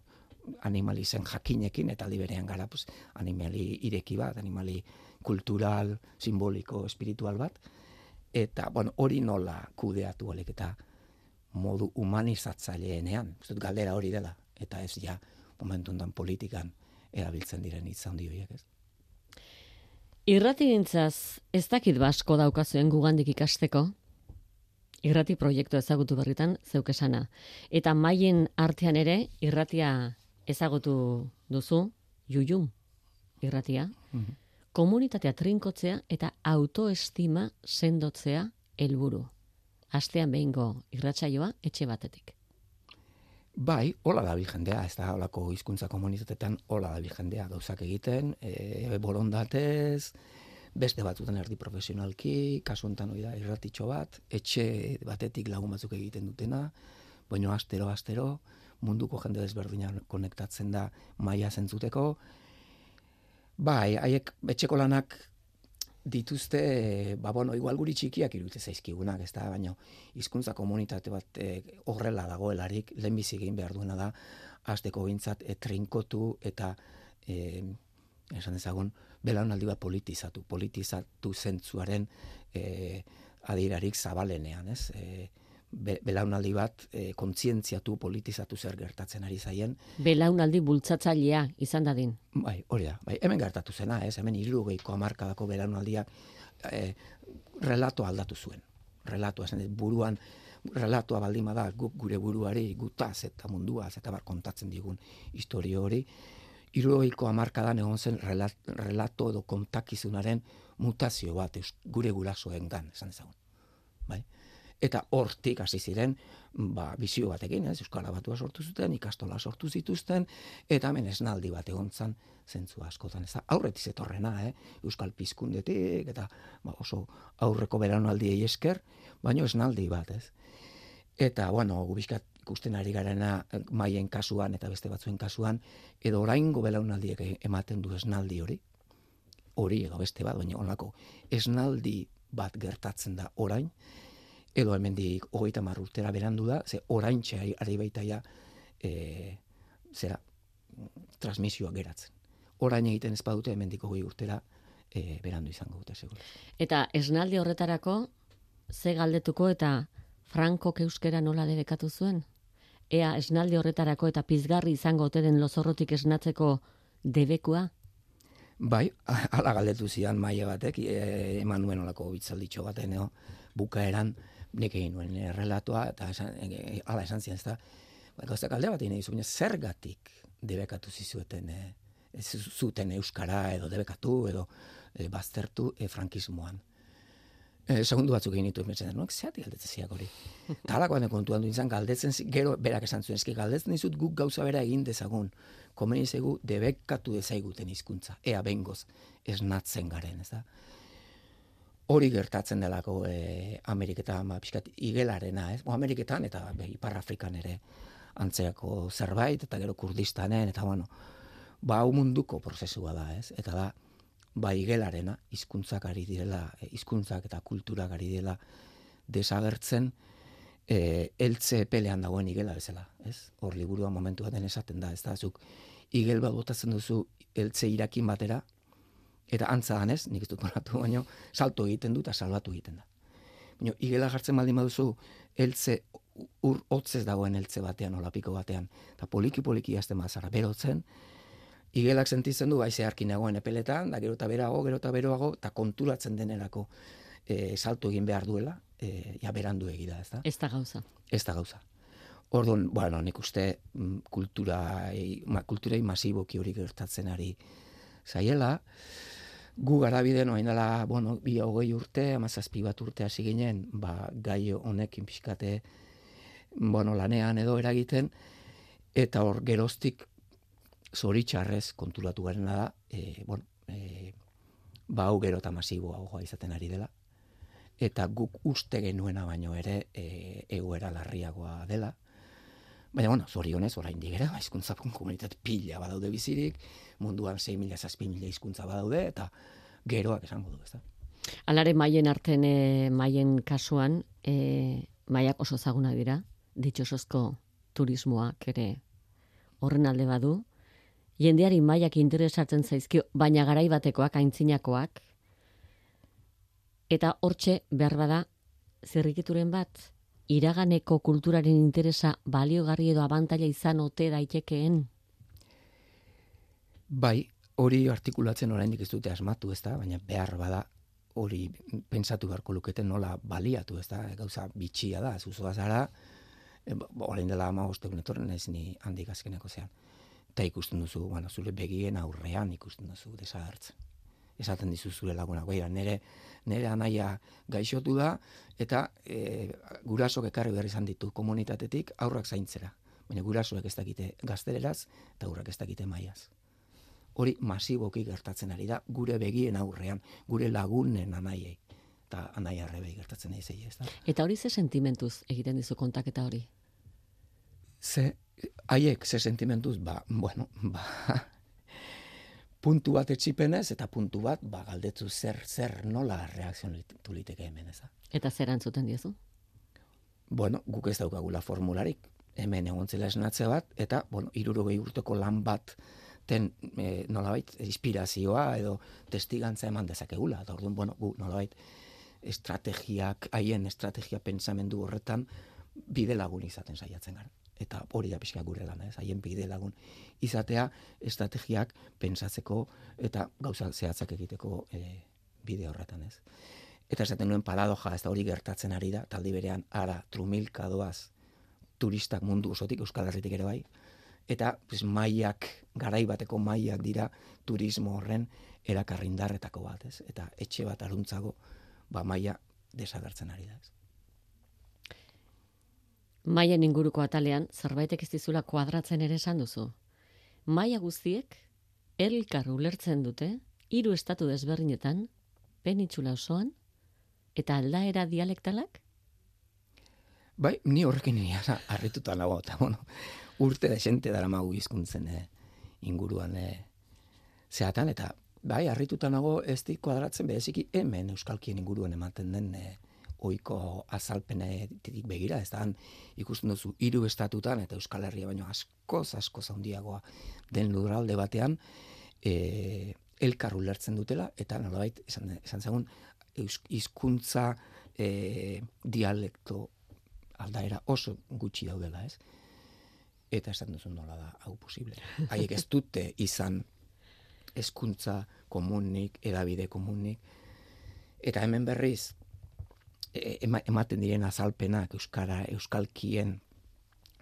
animali zen jakinekin, eta liberean gara, pues, animali ireki bat, animali kultural, simboliko, espiritual bat, eta, bueno, hori nola kudeatu alik, eta modu humanizatzaileenean, galdera hori dela, eta ez ja, momentu ondan politikan erabiltzen diren hitz handi horiek, ez? Irratigintzaz ez dakit basko daukazuen gugandik ikasteko, irrati proiektu ezagutu berritan zeuk esana. Eta maien artean ere irratia ezagutu duzu, Jujum irratia, mm-hmm. Komunitatea trinkotzea eta autoestima sendotzea helburu. Astean behingo irratsaioa etxe batetik. Bai, hola da jendea, ez da holako hizkuntza komunitatetan hola da jendea gauzak egiten, e, borondatez, beste batzutan erdi profesionalki, kasu honetan hori da irratitxo bat, etxe batetik lagun batzuk egiten dutena, baina astero astero munduko jende desberdina konektatzen da maila zentzuteko. Bai, haiek etxeko lanak dituzte, ba bueno, igual guri txikiak irudite zaizkigunak, ez da, baina hizkuntza komunitate bat e, horrela dagoelarik, lehenbizi egin behar duena da, hasteko behintzat e, trinkotu eta e, esan dezagun, belaunaldi bat politizatu, politizatu zentzuaren e, adirarik zabalenean, ez? E, be, belaunaldi bat e, kontzientziatu, politizatu zer gertatzen ari zaien. Belaunaldi bultzatzailea izan dadin. Bai, hori da. Bai, hemen gertatu zena, ez? Hemen hirurogeiko hamarkadako belaunaldiak e, relatoa aldatu zuen. Relatoa, esan buruan, relatoa baldin bada guk gure buruari, gutaz eta munduaz, eta bar kontatzen digun historio hori, hirurogeiko hamarkadan egon zen relat, relato edo kontakizunaren mutazio bat gure gurasoen gan, esan ezagun. Bai? Eta hortik hasi ziren, ba, bizio batekin, ez, Euskara Batua sortu zuten, ikastola sortu zituzten, eta hemen esnaldi bat egon zan, zentzu askotan, ez da, aurretiz etorrena, eh? Euskal Pizkundetik, eta ba, oso aurreko belaunaldiei esker, baino esnaldi bat, ez. Eta, bueno, gubizkat ikusten ari garena maien kasuan eta beste batzuen kasuan, edo oraingo belaunaldiek ematen du esnaldi hori, hori edo beste bat, baina onlako esnaldi bat gertatzen da orain, edo hemendik hogeita hamar urtera berandu da, ze oraintxe ari baita ja, e, zera, transmisioa geratzen. Orain egiten ez badute hemendik hogei urtera e, berandu izango dute, segura. Eta esnaldi horretarako, ze galdetuko eta Frankok euskera nola debekatu zuen? Ea esnaldi horretarako eta pizgarri izango ote den lozorrotik esnatzeko debekua? Bai, ala galdetu zian maila batek, e, eman nuen olako bitzalditxo baten, no? Bukaeran, nik egin nuen e, relatoa, eta esan, e, ala esan zian, ez da, gauzak alde bat egin egizu, zergatik debekatu zizueten e, ez zuten euskara edo debekatu edo e, baztertu e, frankismoan. E, segundu batzuk egin ditu emetzen, no? Zeatik galdetzen ziak hori. Eta halakoan kontuan du izan galdetzen, gero berak esan zuen, eski galdetzen dizut guk gauza bera egin dezagun, komeni zaigu debekatu dezaiguten hizkuntza, ea bengoz esnatzen garen, ez da? Hori gertatzen delako e, Ameriketan, ba, pixkat igelarena, ez? Bo, Ameriketan eta be, Ipar Afrikan ere antzerako zerbait, eta gero Kurdistanen, eta bueno, ba, hau munduko prozesua da, ez? Eta da, ba, igelarena, hizkuntzak ari direla, hizkuntzak eta kulturak ari direla desagertzen, e, eltze pelean dagoen igela bezala, ez? Hor liburua momentu baten esaten da, ez da, zuk igel bat botatzen duzu eltze irakin batera, eta antza danez, nik ez dut moratu, baina salto egiten du eta salbatu egiten da. Baina igela jartzen baldin baduzu eltze ur hotzez dagoen eltze batean, olapiko batean, eta poliki-poliki jazten bazara berotzen, igelak sentitzen du baize harkin nagoen epeletan, da gero eta berago, gero eta beroago, eta konturatzen denerako e, salto egin behar duela, e, ja berandu egida, ez da? Ez da gauza. Ez da gauza. Orduan, bueno, nik uste kulturai, ma, kulturai masiboki hori gertatzen ari zaiela, gu garabiden orain dela, bueno, bi hogei urte, hamazazpi bat urte hasi ginen, ba, gai honekin pixkate, bueno, lanean edo eragiten, eta hor geroztik zoritxarrez konturatu garena da, e, bueno, e, ba, hau gero eta masiboagoa izaten ari dela, eta guk uste genuena baino ere e, egoera larriagoa dela. Baina, bueno, zorionez, orain digera, hizkuntza komunitate pila badaude bizirik, munduan sei mila, zazpi mila hizkuntza badaude, eta geroak esango du, ez da. Alare maien arten, e, maien kasuan, e, maiak oso zaguna dira, ditxosozko turismoak ere horren alde badu, jendeari maiak interesatzen zaizkio, baina garai batekoak, aintzinakoak, eta hortxe behar bada zerrikituren bat, iraganeko kulturaren interesa baliogarri edo abantaila izan ote daitekeen? Bai, hori artikulatzen oraindik ez dute asmatu, ez da, baina behar bada hori pentsatu beharko luketen nola baliatu, ez da, gauza bitxia da, zuzoa zara, e, orain dela hamabost egun etorren ez ni handik azkeneko zean. Eta ikusten duzu, bueno, zure begien aurrean ikusten duzu desagertzen. Esaten dizu zure lagunak, beira, nere, nere anaia gaixotu da, eta e, gurasok ekarri behar izan ditu komunitatetik aurrak zaintzera. Baina gurasoek ez dakite gazteleraz, eta aurrak ez dakite maiaz. Hori masiboki gertatzen ari da, gure begien aurrean, gure lagunen anaiei, eta anaia arrebei gertatzen ari zei, ez da? Eta hori ze sentimentuz egiten dizu kontaketa hori? Ze, haiek ze sentimentuz, ba, bueno, ba... puntu bat etxipenez, eta puntu bat, ba, galdetzu zer, zer nola reakzionatu liteke hemen, ez da. Eta zer antzuten diezu? Bueno, guk ez daukagula formularik, hemen egontzela esnatze bat, eta, bueno, hirurogei urteko lan bat, ten, e, nolabait, inspirazioa edo testigantza eman dezakegula, eta orduan, bueno, gu, nolabait, estrategiak, haien estrategia pentsamendu horretan, bide lagun izaten saiatzen gara. Eta hori da pixka gure lana, ez? Haien bide lagun izatea estrategiak pentsatzeko eta gauza zehatzak egiteko e, bide horretan, ez? Eta esaten nuen paradoja, ez da hori gertatzen ari da, taldi berean ara trumilka doaz turistak mundu osotik, Euskal Herritik ere bai, eta pues, maiak, garai bateko maiak dira turismo horren erakarrindarretako bat, ez? Eta etxe bat aruntzago, ba maia desagertzen ari da, ez? Maien inguruko atalean, zerbaitek ez dizula kuadratzen ere esan duzu. Maia guztiek, elkar ulertzen dute, hiru estatu desberdinetan, penitsula osoan, eta aldaera dialektalak? Bai, ni horrekin harrituta nago, eta bueno, urte da xente dara magu hizkuntzen eh, inguruan eh, zehatan, eta bai, harrituta nago ez di kuadratzen bereziki hemen euskalkien inguruan ematen den eh, oiko azalpenetik begira, ez da, ikusten duzu hiru estatutan, eta Euskal Herria baino askoz, askoz handiagoa den lurralde batean, e, elkar ulertzen dutela, eta nolabait, esan, esan zagun, hizkuntza e, dialekto aldaera oso gutxi daudela, ez? Eta esan duzu nola da, hau posible. Haiek ez dute izan hezkuntza komunik, edabide komunik, eta hemen berriz, ematen diren azalpenak euskara, euskalkien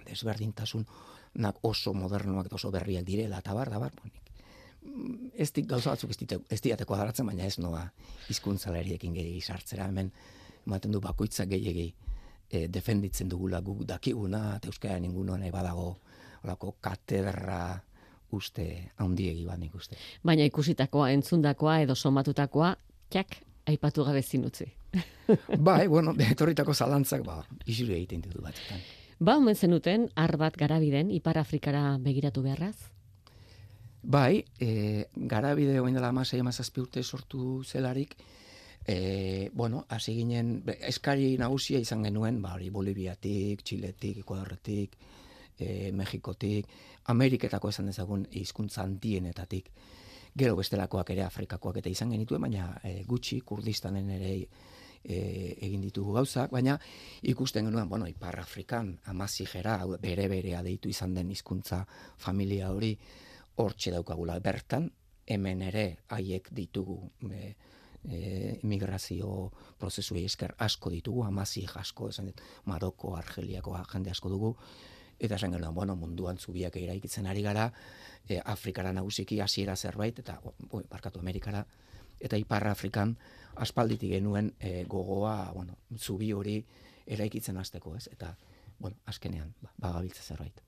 desberdintasunak oso modernoak eta oso berriak direla, eta bar, da bar, bonik. ez dik gauza batzuk ez, dite, ez diateko adaratzen, baina ez noa hizkuntzalariekin gehiagi sartzera. Hemen, ematen du bakoitzak gehiagi e, defenditzen dugula guk dakiguna, eta euskara ninguno nahi badago, olako katedra uste handiegi bat nik uste. Baina ikusitakoa, entzundakoa edo somatutakoa, txak, aipatu gabe zinutzi. Bai, bueno, etorritako zalantzak, ba, isuri egiten ditu batzutan. Ba, omen zenuten, ar bat garabiden, Ipar Afrikara begiratu beharraz? Bai, e, garabide oin dela amasei amazazpi urte sortu zelarik, e, bueno, hasi ginen, eskari nagusia izan genuen, ba, hori Boliviatik, Txiletik, Ekuadorretik, e, Mexikotik, Ameriketako esan dezagun hizkuntza handienetatik. Gero bestelakoak ere Afrikakoak eta izan genituen, baina e, gutxi Kurdistanen ere e, egin ditugu gauzak, baina ikusten genuen, bueno, Ipar Afrikan amazigera, bere-berea deitu izan den hizkuntza familia hori, hortxe daukagula bertan, hemen ere haiek ditugu e, e, immigrazio prozesuei esker asko ditugu, amazig asko, esan dit, Maroko, Argeliako jende asko dugu, eta esan genuen, bueno, munduan zubiak eraikitzen ari gara, e, Afrikara nagusiki hasiera zerbait, eta, oi, barkatu Amerikara, eta Ipar Afrikan aspalditik genuen e, gogoa, bueno, zubi hori eraikitzen hasteko, ez? Eta, bueno, azkenean, ba, bagabiltza zerbait.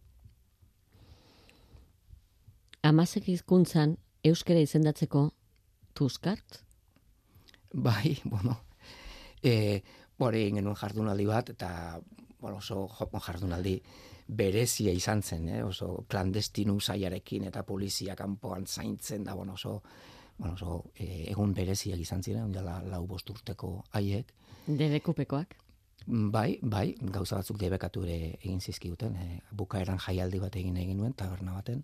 Amazek hizkuntzan euskara izendatzeko Tuskart? Bai, bueno, e, hori egin genuen jardunaldi bat, eta, bueno, oso jardunaldi berezia izan zen, eh? Oso klandestinu zaiarekin eta polizia kanpoan zaintzen da, bueno, oso, bueno, oso e, egun bereziak izan ziren, ondela lau bost urteko haiek. Debekupekoak? Bai, bai, gauza batzuk debekatu ere egin zizkiguten, e, bukaeran jaialdi bat egin egin nuen, taberna baten,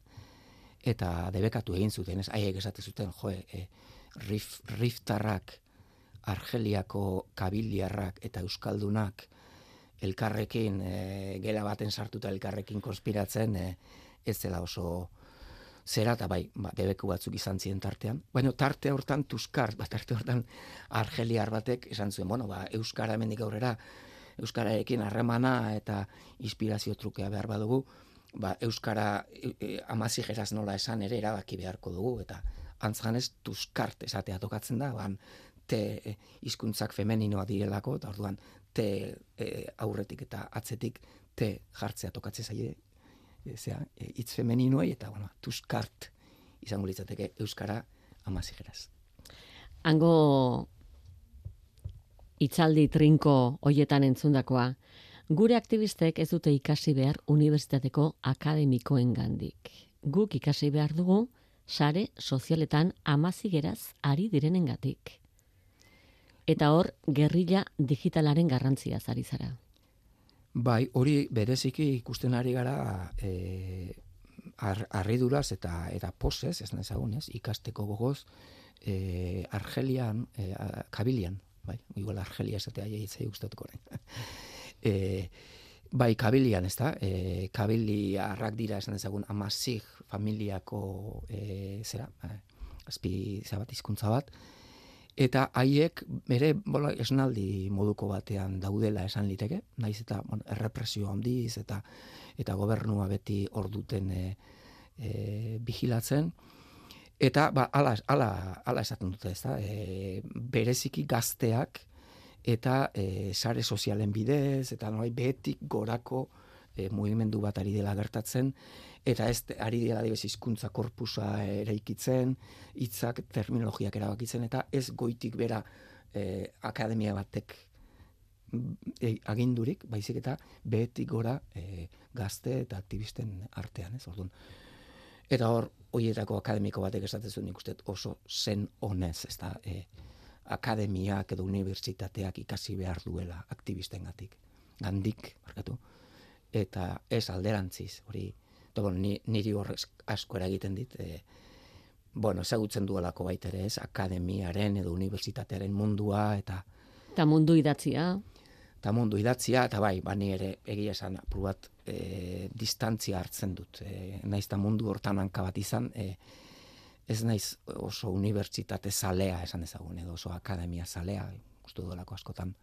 eta debekatu egin zuten, ez, haiek esate zuten, jo, e, rif, riftarrak, Argeliako kabiliarrak eta euskaldunak elkarrekin, e, gela baten sartuta elkarrekin konspiratzen, e, ez zela oso zera, eta bai, ba, debeku batzuk izan ziren tartean. Baina tarte hortan Tuskar, ba, tarte hortan argeliar batek esan zuen, bueno, ba, euskara hemendik aurrera, euskararekin harremana eta inspirazio trukea behar badugu, ba, euskara e, e, amazigeraz nola esan ere erabaki beharko dugu, eta antzganez Tuskart esatea tokatzen da, ban, te e, hizkuntzak femeninoa direlako, eta orduan te e, aurretik eta atzetik te jartzea tokatzen zaie, e, zera, e, hitz femeninoei, eta bueno, Tuskart izango litzateke euskara amazigeraz. Hango hitzaldi trinko hoietan entzundakoa, gure aktivistek ez dute ikasi behar unibertsitateko akademikoen gandik. Guk ikasi behar dugu sare sozialetan amazigeraz ari direnengatik. Eta hor, gerrilla digitalaren garrantzia ari zara. Bai, hori bereziki ikusten ari gara e, ar, argiduraz eta eta posez, ez nezagun, ez, ikasteko gogoz, e, Argelian, e, Kabilian, bai, igual Argelia esatea jaitzai gustatuko orain. e, bai, Kabilian, ez da, e, Kabiliarrak dira, esan ezagun, amazig familiako e, zera, e, azpi zabat hizkuntza bat, eta haiek bere bola, esnaldi moduko batean daudela esan liteke, naiz eta bueno, errepresio handiz eta eta gobernua beti hor duten e, e, vigilatzen, eta ba, ala, ala, ala esaten dute, ez da, e, bereziki gazteak eta e, sare sozialen bidez, eta nolai behetik gorako e, mugimendu bat ari dela gertatzen, eta ez ari dela dibez hizkuntza korpusa eraikitzen, hitzak, terminologiak erabakitzen, eta ez goitik bera e, akademia batek e, agindurik, baizik eta behetik gora e, gazte eta aktivisten artean, ez, orduan. Eta hor, horietako akademiko batek esaten zuen ikusten oso zen honez, ez da, e, akademiak edo unibertsitateak ikasi behar duela aktivistengatik, gandik, markatu, eta ez alderantziz, hori, eta bueno, ni, niri horrez asko eragiten dit, e, bueno, ezagutzen duelako baita ere ez, akademiaren edo unibertsitatearen mundua, eta eta mundu idatzia. Eta mundu idatzia, eta bai, bani ere egia esan apur bat e, distantzia hartzen dut. E, naiz eta mundu hortan hanka bat izan, e, ez naiz oso unibertsitate zalea esan ezagun, edo oso akademia zalea, uste duelako askotan,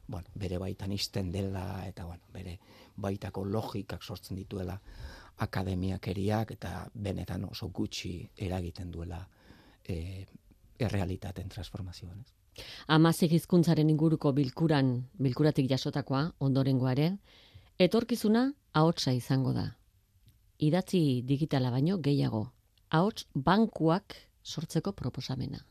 bueno, bere baitan isten dela, eta bueno, bere baitako logikak sortzen dituela akademiakeriak eta benetan oso gutxi eragiten duela e, errealitaten transformazioan. Ez? Hamasei hizkuntzaren inguruko bilkuran, bilkuratik jasotakoa, ondorengoa ere, etorkizuna ahotsa izango da. Idatzi digitala baino gehiago, ahots bankuak sortzeko proposamena.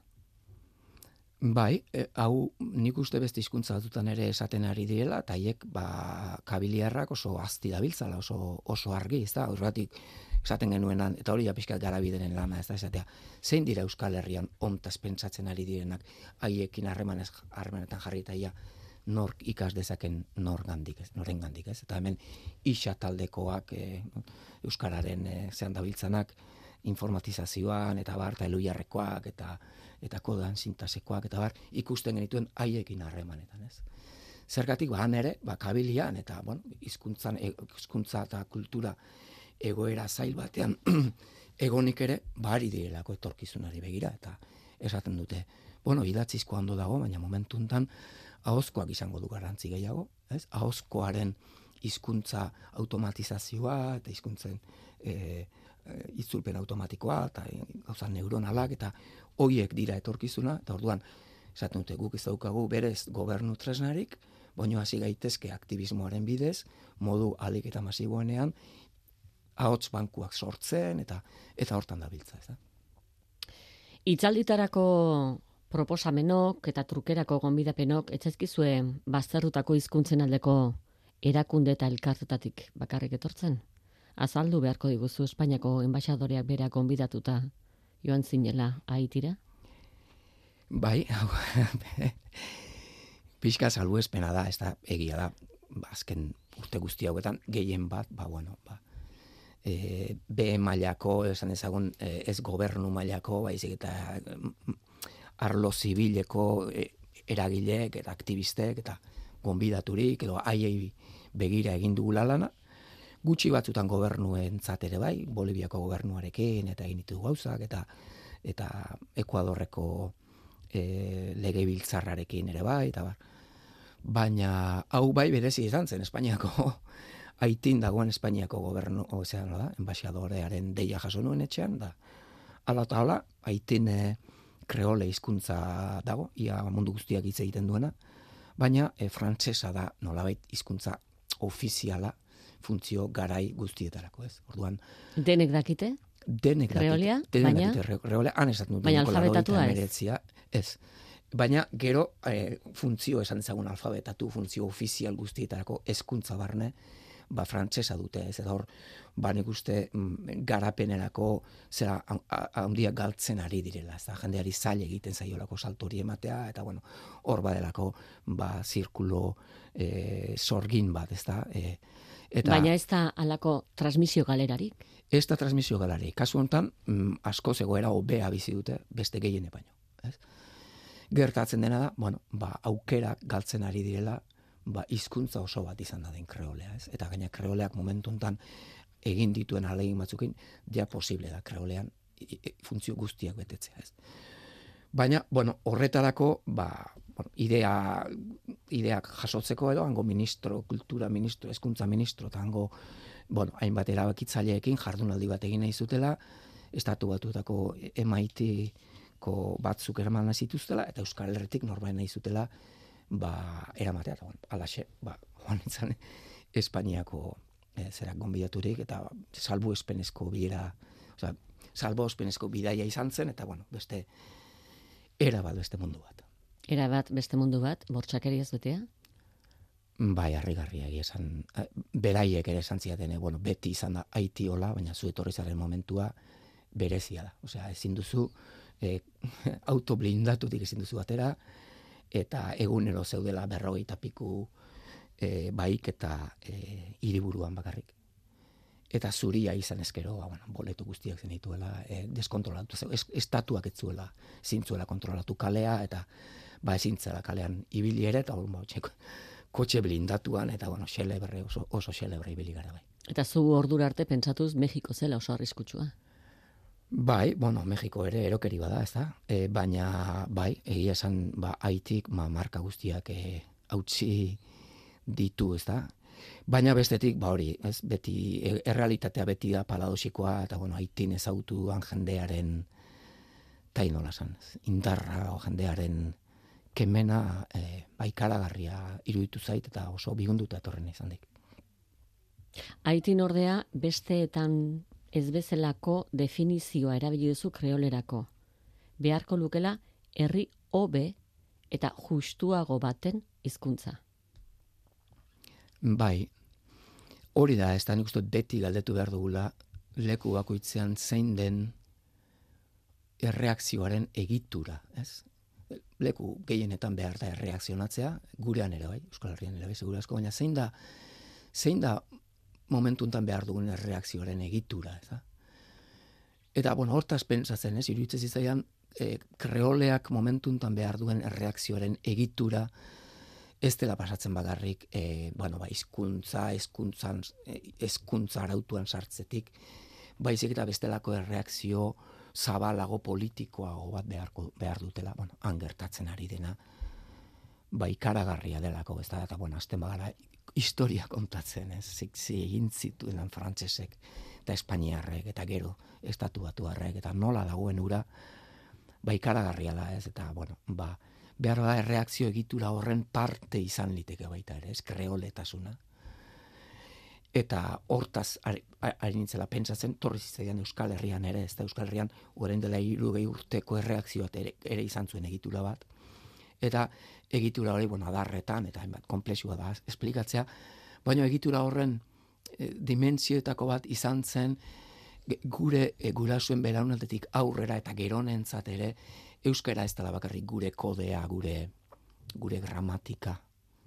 Bai, e, hau nik uste beste hizkuntza batzutan ere esaten ari direla, eta haiek ba, kabiliarrak oso azti dabiltzala, oso, oso argi, ez da, horregatik esaten genuenan, eta hori apiskat garabideren lana, ez da, esatea, zein dira Euskal Herrian ontaz pentsatzen ari direnak, haiekin harremanez, harremanetan jarri eta ia, nork ikas dezaken nor gandik, ez, noren gandik, ez, eta hemen isa taldekoak, e, Euskararen e, zean dabiltzanak, informatizazioan, eta bar, eta eluiarrekoak, eta eta kodan sintasekoak, eta bar, ikusten genituen haiekin harremanetan, ez. Zergatik, ba, han ere, ba, kabilian, eta, bueno, hizkuntzan, hizkuntza eta kultura egoera zail batean egonik ere, bari direlako etorkizunari begira, eta esaten dute, bueno, idatzizko ondo dago, baina momentuntan ahozkoak izango du garrantzi gehiago, ez? Ahozkoaren hizkuntza automatizazioa, eta hizkuntzen e, itzulpen automatikoa, eta gauza neuronalak, eta hoiek dira etorkizuna, eta orduan, esaten dute, guk ez daukagu berez gobernu tresnarik, baino hasi gaitezke aktivismoaren bidez, modu alik eta masiboenean, ahots bankuak sortzen, eta eta hortan dabiltza, ez da. Hitzalditarako proposamenok eta trukerako gonbidapenok etzaizkizue bazterrutako hizkuntzen aldeko erakunde eta elkartetatik bakarrik etortzen? Azaldu beharko diguzu Espainiako enbaixadoreak berak gonbidatuta joan zinela Haitira? Bai, pixka salbuespena da, ez da, egia da, ba, azken urte guzti hauetan, gehien bat, ba, bueno, ba, e, B mailako, esan ezagun, e, ez gobernu mailako, baizik eta arlo zibileko e, eragileek eta aktivistek eta gonbidaturik, edo haiei begira egin dugula lana, gutxi batzutan gobernuentzat ere bai, Boliviako gobernuarekin eta egin ditugu gauzak, eta eta Ekuadorreko e, legebiltzarrarekin ere bai, eta bar. Baina hau bai berezi izan zen Espainiako Haitin dagoen Espainiako gobernu, ozean da, enbaixadorearen deia jaso nuen etxean, da ala eta ala, Haitin e, kreole hizkuntza dago, ia mundu guztiak hitz egiten duena, baina e, frantsesa da nolabait hizkuntza ofiziala, funtzio garai guztietarako, ez? Orduan, denek dakite? Denek kreolea, dakite. Denek baina dakite kreolea, han esaten dut. Baina alfabetatua ez. Ez. Baina gero e, funtzio esan dezagun alfabetatu, funtzio ofizial guztietarako hezkuntza barne, ba frantsesa dute, ez eta hor, ba nik uste mm, garapenerako zera handiak galtzen ari direla, ez da, jendeari zail egiten zaiolako salto hori ematea, eta bueno, hor badelako, ba, zirkulo e, sorgin bat, ez da, e, Eta, baina ez da alako transmisio galerarik? Ez da transmisio galerarik. Kasu honetan, mm, asko zegoera hobea bizi dute beste gehiene baino. Ez? Gertatzen dena da, bueno, ba, aukerak galtzen ari direla, ba, hizkuntza oso bat izan da den kreolea. Ez? Eta gaina kreoleak momentu honetan egin dituen ahalegin batzukin, ja posible da kreolean funtzio guztiak betetzea. Ez? Baina, bueno, horretarako, ba, bueno, idea, ideak jasotzeko edo, hango ministro, kultura ministro, hezkuntza ministro, eta hango, bueno, hainbat erabakitzaileekin jardunaldi bat egin nahi zutela, estatu batuetako M I T-ko batzuk eraman nahi zituztela, eta Euskal Herritik norbait nahi zutela, ba, eramatea, eta bueno, alaxe, ba, joan itzan, Espainiako e, zerak gonbidaturik, eta salbu espenezko bilera, osea, salbu espenezko bidaia izan zen, eta bueno, beste, era bat beste mundu bat. Era bat beste mundu bat, bortxakeriaz betea? Bai, harrigarria egia esan. Beraiek ere esan ziaten, bueno, beti izan da Haiti hola, baina zu etorri zaren momentua berezia da. Osea, ezin duzu e, auto blindatutik ezin duzu atera, eta egunero zeudela berrogeita piku e, baik eta e, hiriburuan bakarrik. Eta zuria izan ezkero, ba, bueno, boletu guztiak zen dituela, e, deskontrolatu, ez, estatuak ez zuela, zintzuela kontrolatu kalea, eta ba ezintzela kalean ibili ere, eta bon, txeko, kotxe blindatuan, eta bueno, xelebre, oso, oso xelebre ibili gara bai. Eta zu ordura arte pentsatuz Mexiko zela oso arriskutsua? Bai, bueno, Mexiko ere erokeri bada, ez da? E, baina, bai, egia esan, ba, Haitik, ma, marka guztiak e, hautsi ditu, ez da? Baina bestetik, ba hori, ez, beti, errealitatea beti da paradosikoa, eta bueno, Haitin ezagutu duan jendearen, eta inola esan, indarra o jendearen kemena e, baikaragarria iruditu zait, eta oso bigunduta etorren izan dik. Haitin ordea, besteetan ez bezalako definizioa erabili duzu kreolerako. Beharko lukela herri hobe eta justuago baten hizkuntza. Bai, hori da, ez da nik uste beti galdetu behar dugula leku bakoitzean zein den erreakzioaren egitura, ez? Leku gehienetan behar da erreakzionatzea, gurean ere bai, Euskal Herrian ere bai, segura asko, baina zein da, zein da momentuntan behar dugun erreakzioaren egitura, ez da? Eta, bueno, hortaz pentsatzen, ez, iruditzen zizaian, e, kreoleak momentuntan behar duen erreakzioaren egitura, ez dela pasatzen bagarrik, e, bueno, ba, hizkuntza, hezkuntzan, hezkuntza arautuan sartzetik, baizik eta bestelako erreakzio zabalago politikoago bat beharko, behar dutela, bueno, han gertatzen ari dena, ba, ikaragarria delako, ez da, eta, bueno, azten bagara, historia kontatzen, ez, ziksi egin zituen frantsesek, eta espainiarrek, eta gero, estatu batuarrek, eta nola dagoen ura, ba, ikaragarria da, ez, eta, bueno, ba, behar da erreakzio egitura horren parte izan liteke baita ere, ez, kreoletasuna. Eta hortaz ari, ari nintzela pentsatzen, torri zitzaidan Euskal Herrian ere, ez da Euskal Herrian orain dela hirurogei urteko erreakzioa ere, ere izan zuen egitura bat. Eta egitura hori, bueno, adarretan, eta hainbat konplexua da esplikatzea, baina egitura horren e, dimentsioetako bat izan zen gure e, gurasuen belaunaldetik aurrera eta geronentzat ere euskara ez dela bakarrik gure kodea, gure gure gramatika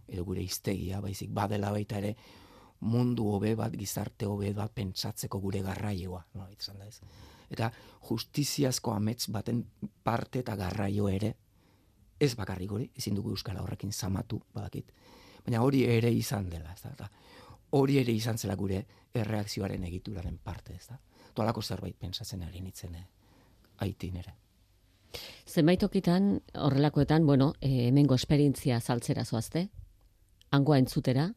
edo gure hiztegia, baizik badela baita ere mundu hobe bat, gizarte hobe bat pentsatzeko gure garraioa, no, izan da ez. Eta justiziazko amets baten parte eta garraio ere ez bakarrik hori, ezin dugu euskara horrekin zamatu, badakit. Baina hori ere izan dela, ez da. Eta hori ere izan zela gure erreakzioaren egituraren parte, ez da. Tolako zerbait pentsatzen ari nintzen eh, Haitin ere. Zenbait tokitan, horrelakoetan, bueno, e, hemengo esperientzia saltzera zoazte, hangoa entzutera,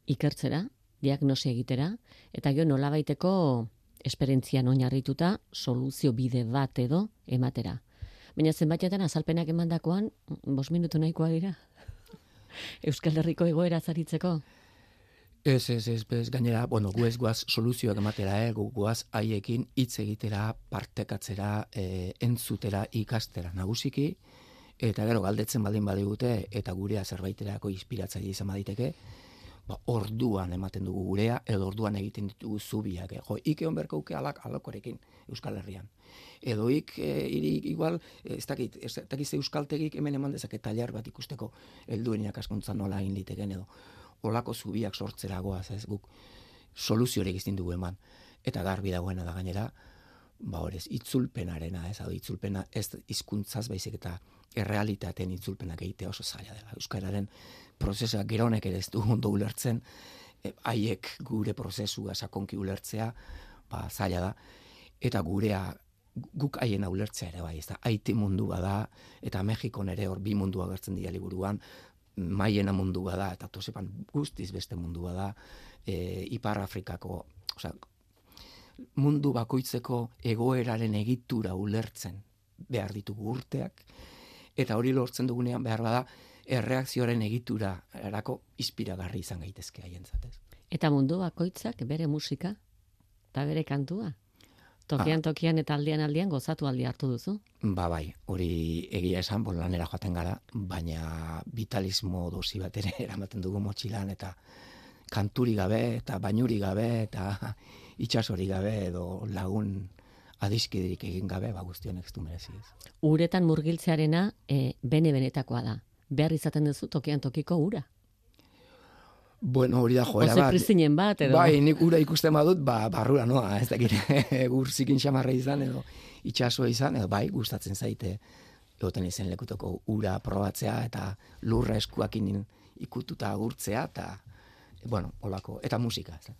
ikertzera, diagnosia egitera, eta gero nolabaiteko esperientzian oinarrituta soluzio bide bat edo ematera. Baina zenbaitetan azalpenak emandakoan, bost minutu nahikoa dira? Euskal Herriko egoera zaritzeko? Ez, ez, ez, bez, gainera, bueno, gu ez guaz soluzioak ematera, eh, gu guaz haiekin hitz egitera, partekatzera, eh, entzutera, ikastera nagusiki, eta gero galdetzen baldin badigute, eta gurea zerbaiterako inspiratzaile izan baditeke, ba, orduan ematen dugu gurea, edo orduan egiten ditugu zubiak. Eh. Jo, ik egon berko uke alak, alakorekin Euskal Herrian. Edo ik, e, iri, igual, ez dakit, ez dakit ze euskaltegik hemen eman dezake tailer bat ikusteko helduen irakaskuntza nola egin liteken edo. Olako zubiak sortzeragoaz, ez guk soluziorik izin dugu eman. Eta garbi dagoena da gainera, ba horrez, itzulpenarena, ez, hau itzulpena ez hizkuntzaz baizik eta errealitateen itzulpenak egitea oso zaila dela. Euskararen prozesua geronek ere ez du ondo ulertzen, haiek e, gure prozesua sakonki ulertzea, ba zaila da, eta gurea guk haiena ulertzea ere bai, ez da, Haiti mundu bada, eta Mexikon ere hor bi mundu agertzen dira liburuan, Maiena mundu bada, eta Tosepan guztiz beste mundu bada, e, Ipar Afrikako, osea, mundu bakoitzeko egoeraren egitura ulertzen behar ditugu urteak, eta hori lortzen dugunean behar bada, erreakzioaren egitura erako inspiragarri izan gaitezke haientzat, ez. Eta mundu bakoitzak bere musika eta bere kantua? Tokian, tokian eta aldian aldian gozatu aldi hartu duzu? Ba bai, hori egia esan, bon lanera joaten gara, baina vitalismo dosi bat ere eramaten dugu motxilan, eta kanturi gabe, eta bainuri gabe, eta itxasori gabe, edo lagun adiskiderik egin gabe, ba guztionek ez du merezi ez. Uretan murgiltzearena e, bene-benetakoa da. Behar izaten duzu tokian tokiko ura. Bueno, hori da joera bat. Oze pristinen bat, edo? Bai, nik ura ikusten badut, ba, barrura noa, ez dakit, gur zikin xamarra izan, edo itxasoa izan, edo bai, gustatzen zaite, egoten izen lekutoko ura probatzea, eta lurra eskuakin ikututa agurtzea, eta, bueno, olako, eta musika. Ez.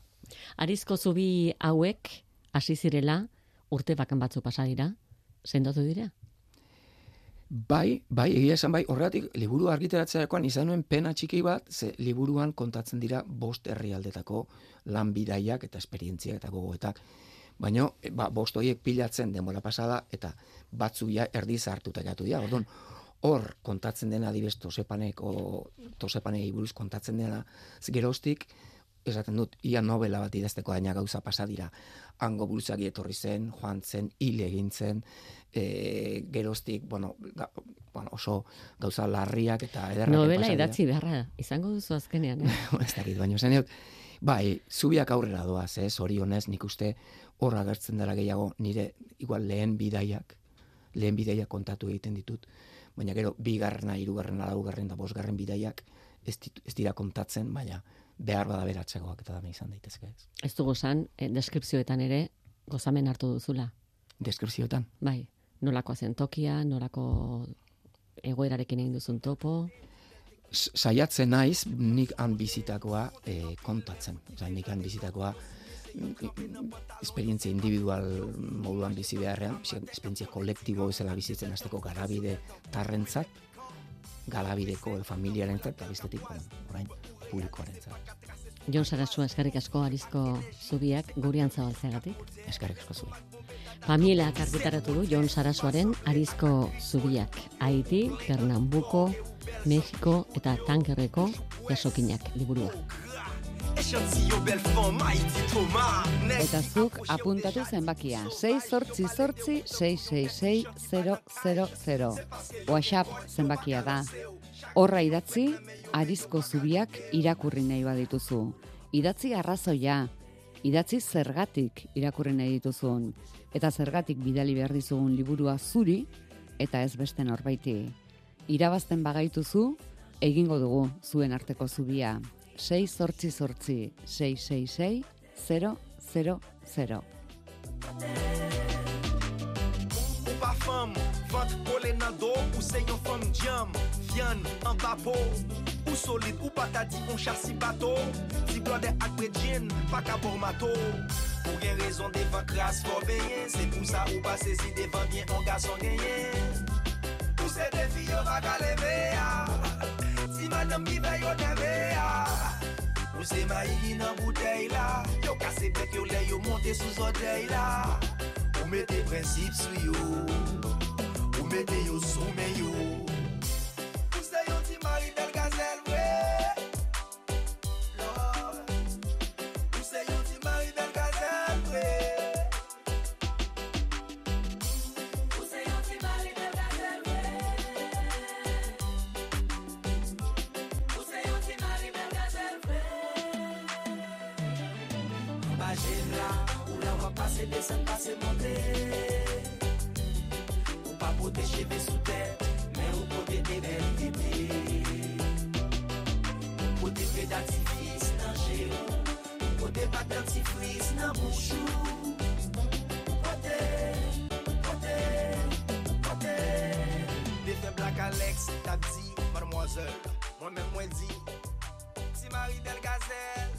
Arizko zubi hauek, hasi zirela, urte bakan batzu pasa dira, sendotu dira? Bai, bai, egia esan bai, horregatik liburu argitaratzerakoan izan nuen pena txiki bat, ze liburuan kontatzen dira bost herrialdetako lan bidaiak eta esperientziak eta gogoetak. Baina, ba, bost horiek pilatzen denbora pasada eta batzu ja erdi hartuta jatu dira. Orduan, hor kontatzen dena adibidez Tosepaneko, Tosepanei buruz kontatzen dena, geroztik, esaten dut, ia novela bat idazteko daina gauza pasa dira. Hango buruzagi etorri zen, joan zen, hil egin zen, e, geroztik, bueno, ga, bueno, oso gauza larriak eta ederrak. Novela idatzi beharra, izango duzu azkenean, eh? Ez dakit, baina esan dut, bai, zubiak aurrera doaz, ez, zorionez, nik uste horra agertzen dela gehiago nire, igual lehen bidaiak, lehen bidaiak kontatu egiten ditut, baina gero, bigarrena, hirugarrena, laugarren da bosgarren bidaiak ez, ditu, ez dira kontatzen, baina behar bada beratzegoak eta dame izan daitezke ez. Ez dugu zan, eh, deskripzioetan ere gozamen hartu duzula. Deskripzioetan? Bai, nolako zen tokia, nolako egoerarekin egin duzun topo. Saiatzen naiz, nik han bizitakoa e, kontatzen. Osa, nik han bizitakoa esperientzia individual moduan bizi beharrean, esperientzia kolektibo bezala bizitzen hasteko garabide tarrentzat, galabideko familiarentzat, eta bestetik, orain, publikoarentzat. Jon Sarasua, eskerrik asko Arizko Zubiak gurean zabaltzeagatik. Eskerrik asko zubi. Familiak argitaratu du Jon Sarasuaren Arizko Zubiak. Haiti, Pernambuko, Mexiko eta Tankerreko jasokinak liburua. Eta zuk apuntatu zenbakia, sei zortzi zortzi sei sei sei zero zero zero. WhatsApp zenbakia da. Horra idatzi, Arizko Zubiak irakurri nahi badituzu. Idatzi arrazoia, idatzi zergatik irakurri nahi dituzun, eta zergatik bidali behar dizugun liburua zuri, eta ez beste norbaiti. Irabazten bagaituzu, egingo dugu zuen arteko zubia. sei zortzi zortzi sei sei sei zero zero zero. Ou pa fam, vant kole nan do, ou se yon fam jam, vian an papo, ou solide, ou patati, on chassi bato, si blonde ak predjin, pa ka por mato, ou gen rezon devan kras for benyen, se pou sa ou pa sezi devan bien, on gason genyen, ou se defi yo va ka leve ya, si madame mi ve yo deve ya, ou se mayi nan bouteille la, yo kase bek yo le yo monte sou zotey la, ou mette prinsip sou yo, ou mette yo sou men yo. Ou se yon ti mari bel gazel vwe, Lord. Ou se yon ti mari bel gazel vwe. Ou se yon ti mari bel gazel vwe. Ou se yon ti mari bel gazel vwe. Ba jen la, ou la va pase desen pase monte. Ou pa pote cheve sou tèt, men ou pote de bel tete. Ou pote fe datifis nan jero, ou pote pa datifris nan bouchou. Ou pote, ou pote, ou pote. De fe Black Alex, tap di, mademoiselle, moi men mwen di, si Marie Belle Gazelle.